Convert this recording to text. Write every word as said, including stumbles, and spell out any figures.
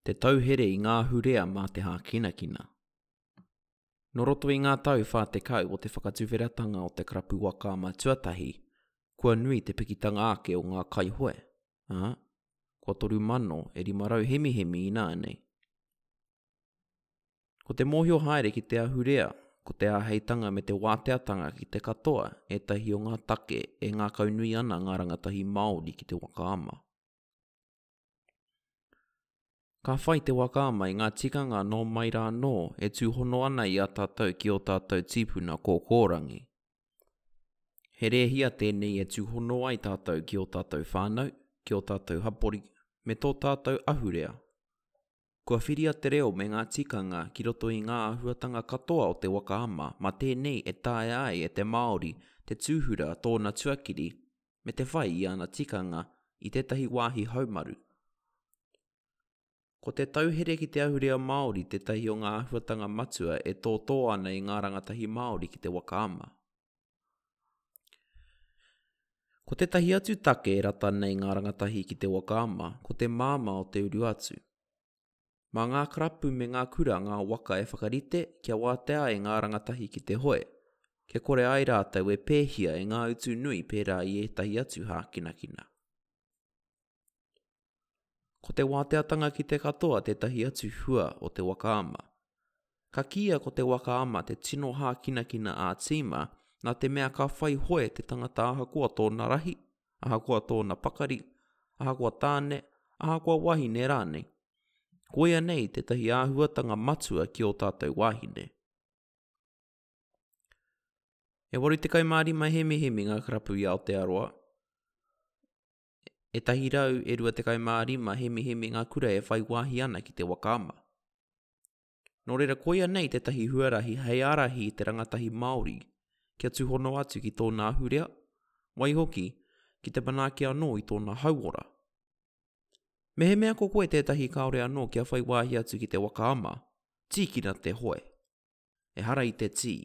Te tauhere i ngā ahurea mā te hākinakina. Nō roto i ngā tau whā tekau o te whakatuwheratanga o te karapu waka ama tuatahi, kua nui te pikitanga ake o ngā kaihoe, ā, kua toru mano e rima rau hemihemi ināianei. Ko te mōhio haere ki te ahurea, ko te āheitanga me te wāteatanga ki te katoa ētahi o ngā take e ngākaunui ana ngā rangatahi Māori ki te waka ama. Ka whai te waka ama i ngā tikanga nō mai rā anō e tūhono ana i a tātou ki ō tātou tīpuna kōkōrangi. He rēhia tēnei e tūhono ai tātou ki ō tātou whānau, ki ō tātou hapori, me tō tātou ahurea. Kua whiria te reo me ngā tikanga ki roto i ngā āhuatanga katoa o te waka ama mā tēnei e taea ai e te Māori te tūhura tōna tuakiri me te whai i ana tikanga i tētahi wāhi haumaru. Ko te tauhere ki te ahurea Māori tētahi o ngā āhuatanga matua e tōtō ana i ngā rangatahi Māori ki te waka ama. Ko tētahi atu take e rata nei ngā rangatahi ki te waka ama, ko te māmā o te uru atu. Mā ngā karapu me ngā kura ngā waka e whakarite kia wātea ai ngā rangatahi ki te hoe, kia kore ai rātou e pēhia e ngā utu nui pērā i ētahi atu hākinakina. Ko te wāteatanga ki te katoa tētahi atu hua o te waka ama. Ka kīia ko te waka ama te tino hākinakina ā-tīma nā te mea ka whai hoe te tangata ahakoa tōna rahi, ahakoa tōna pakari, ahakoa tāne, ahakoa wahine rānei. Koia nei tētahi āhuatanga matua ki ō tātou wāhine. E waru tekau mā rima hemihemi ngā karapu i Aotearoa. E tahi rau e rua tekau mā rima hemihemi ngā kura e whai wāhi ana ki te waka ama. Nō reira koia nei tētahi huarahi hei ārahi i te rangatahi Māori kia tūhono atu ki tōna ahurea, waihoki, ki te manaaki anō i tōna hauora. Mehemea ko koe tētahi kāore anō kia whai wāhi atu ki te waka ama, tīkina te hoe. Ehara i te tī.